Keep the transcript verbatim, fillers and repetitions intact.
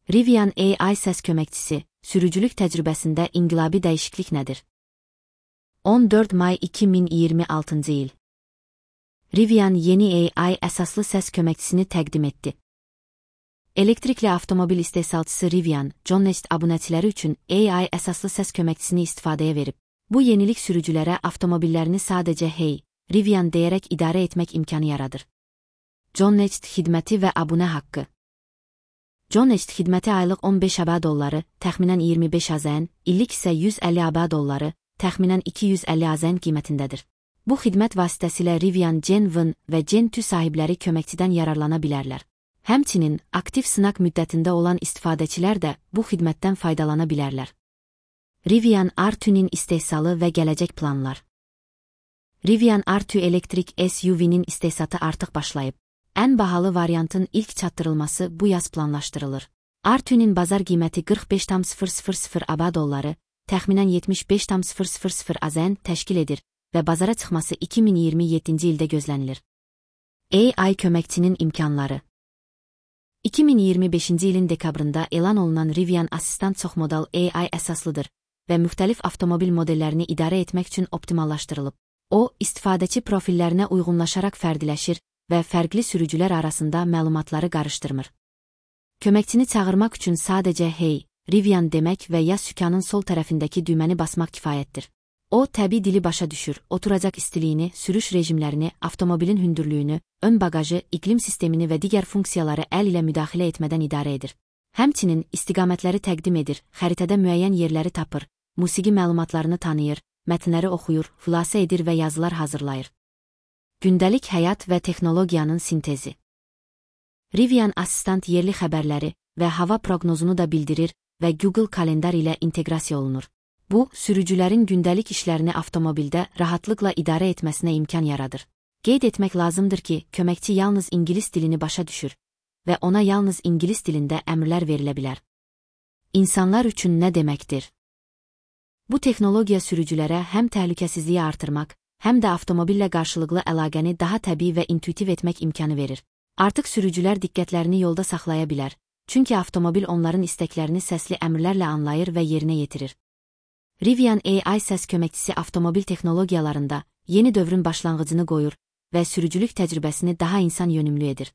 Rivian A I səs köməkçisi, sürücülük təcrübəsində inqilabi dəyişiklik nədir? on dörd may iki min iyirmi altıncı il. Rivian yeni A I əsaslı səs köməkçisini təqdim etdi. Elektrikli avtomobil istehsalçısı Rivian, John Nest abunəçiləri üçün A I əsaslı səs köməkçisini istifadəyə verib. Bu yenilik sürücülərə avtomobillerini sadəcə hey, Rivian deyərək idarə etmək imkanı yaradır. John Nest xidməti və abunə haqqı. John Nest xidməti aylıq on beş ABA dolları, təxminən iyirmi beş AZN, illik isə yüz əlli ABA dolları, təxminən iki yüz əlli AZN qiymətindədir. Bu xidmət vasitəsilə Rivian Gen bir və Gen iki sahibləri köməkçidən yararlana bilərlər. Həmçinin, aktiv sınaq müddətində olan istifadəçilər də bu xidmətdən faydalana bilərlər. Rivian R iki-nin istehsalı və gələcək planlar. Rivian R iki elektrik S U V-nin istehsatı artıq başlayıb. Ən bahalı variantın ilk çatdırılması bu yaz planlaşdırılır. R iki-nin bazar qiyməti qırx beş min ABA dolları, təxminən yetmiş beş min AZN təşkil edir və bazara çıxması iki min iyirmi yeddinci ildə gözlənilir. A I köməkçinin imkanları. iki min iyirmi beşinci ilin dekabrında elan olunan Rivian Assistant çoxmodal A I əsaslıdır və müxtəlif avtomobil modellərini idarə etmək üçün optimallaşdırılıb. O, istifadəçi profillərinə uyğunlaşaraq fərdiləşir və fərqli sürücülər arasında məlumatları qarışdırmır. Köməkçini çağırmaq üçün sadəcə hey, Rivian demək və ya sükanın sol tərəfindəki düyməni basmaq kifayətdir. O, təbii dili başa düşür, oturacaq istiliyini, sürüş rejimlərini, avtomobilin hündürlüyünü, ön bagajı, iqlim sistemini və digər funksiyaları əl ilə müdaxilə etmədən idarə edir. Həmçinin, istiqamətləri təqdim edir, xəritədə müəyyən yerləri tapır, musiqi məlumatlarını tanıyır, mətnləri oxuyur, xülasə edir və yazılar hazırlayır. Gündəlik həyat və texnologiyanın sintezi. Rivian Assistant yerli xəbərləri və hava proqnozunu da bildirir və Google kalendar ilə inteqrasiya olunur. Bu, sürücülərin gündəlik işlərini avtomobildə rahatlıqla idarə etməsinə imkan yaradır. Qeyd etmək lazımdır ki, köməkçi yalnız ingilis dilini başa düşür və ona yalnız ingilis dilində əmrlər verilə bilər. İnsanlar üçün nə deməkdir? Bu texnologiya sürücülərə həm təhlükəsizliyi artırmaq, həm də avtomobillə qarşılıqlı əlaqəni daha təbii və intuitiv etmək imkanı verir. Artıq sürücülər diqqətlərini yolda saxlaya bilər, çünki avtomobil onların istəklərini səsli əmrlərlə anlayır və yerinə yetirir. Rivian A I səs köməkçisi avtomobil texnologiyalarında yeni dövrün başlanğıcını qoyur və sürücülük təcrübəsini daha insan yönümlü edir.